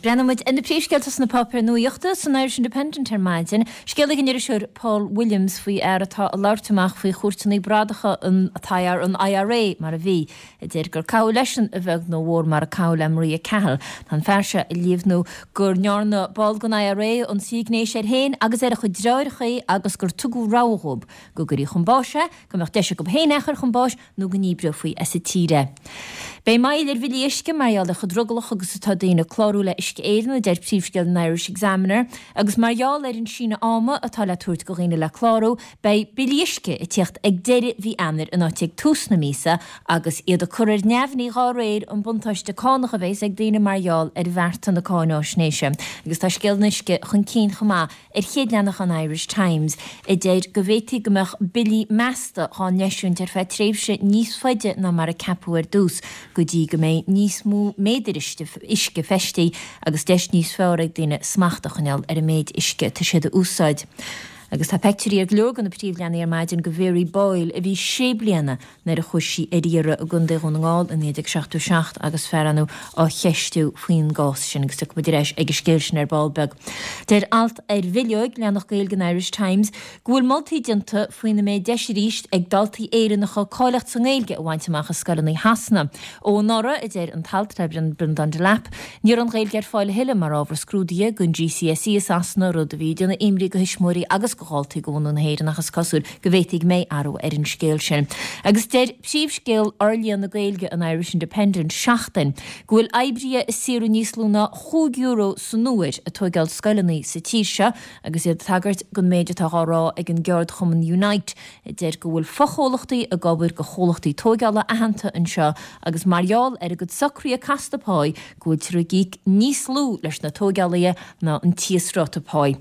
Breathnóidh muid ar na príomhscéalta sna páipéir nuachta san Irish Independent ar maidin. Scéal ag an iriseoir Paul Williams faoi fhear atá ag labhairt amach faoi chúirteanna bradacha an an IRA mar a bhí, a deir gur caitheadh leisean a bheag nó a mhór mar a caitheadh le Maria Cahill. Tá an fear seo ag líomhnú go ndearna ball den IRA ionsaí gnéis air féin agus ar a chuid deartháireacha agus gur tugadh rogha dhóibh go gcuirfí chun báis é, go mbeadh deis acu féin é a chur chun báis nó go ndíbreofaí as an tír é. Beidh moill ar bhillí uisce mar gheall ar chomh drogallach agus atá daoine clárú le Uisce Éireann, a deir príomhscéal an Irish Examiner, agus mar gheall ar an síneadh ama atá le tabhairt do dhaoine le clárú, beidh billí uisce ag tíocht ag deireadh mhí Eanáir in áit ag tús na míosa agus iad ag cur ar neamhní dhá réir an buntáiste cánach a bheas ag daoine mar gheall ar bhearta na cáináisnéise. Agus tá scéal an uisce chun cinn chomh maith Ar chéad leathanach an Irish Times, a deir go bhféadfaí go mbeadh billí measta dhá n-eisiúint ar feadh tréimhse níos faide ná mar a ceapadh ar dtús, go dtí go mbeidh níos mó méadair uisce feistithe agus deis níos fearr ag daoine smacht a choinneáil ar an méid uisce atá siad a úsáid. Agus tá peictiúirí ar go leor de na príomhleathanaigh ar maidin de Mhary Boyle a bhí sé bliana nuair a chuaigh sí ar iarraidh i gContae Dhún na nGall i 1977 agus fear ann á cheistiú faoin gcás sin agus tiocfaidh muid ar ais ag an scéal sin ar ball beag. Deir alt ar bhileoig, leathanach Gaeilge an Irish Times, go bhfuil moltaí déanta faoina mbeidh deis arís ag daltaí Éireannacha cáilíocht sa nGaeilge a bhaint amach i scoileanna Shasana. Ó anuraidh, a deir an t-alt le Breandán Delap, ní raibh an Ghaeilge ar fáil a thuilleadh mar ábhar scrúdaithe don GCSE i Sasana, rud a bhí ag déanamh imní do thuismitheoirí agus do dhaltaí de bhunadh na hÉireann ach is cosúil go bhféadfaí go mbeidh athrú ar an scéal sin. Agus deir príomhscéal fhorlíonadh Gaeilge an Irish Independent, Seachtain, go bhfuil oibrithe ag saothrú níos lú ná chúig euro san uair ag tóigeáil scoileanna sa tír seo agus iad ag tagairt don méid atá dhá rá ag an gceardchumann Unite a deir go bhfuil fochomhlachtaí ag obair do chomhlachtaí tóigeála aitheanta anseo agus mar gheall ar a gcuid socruithe casta páí go bhfuiltear ag íoc níos lú leis na tóigeálaithe ná an t-íosráta páí.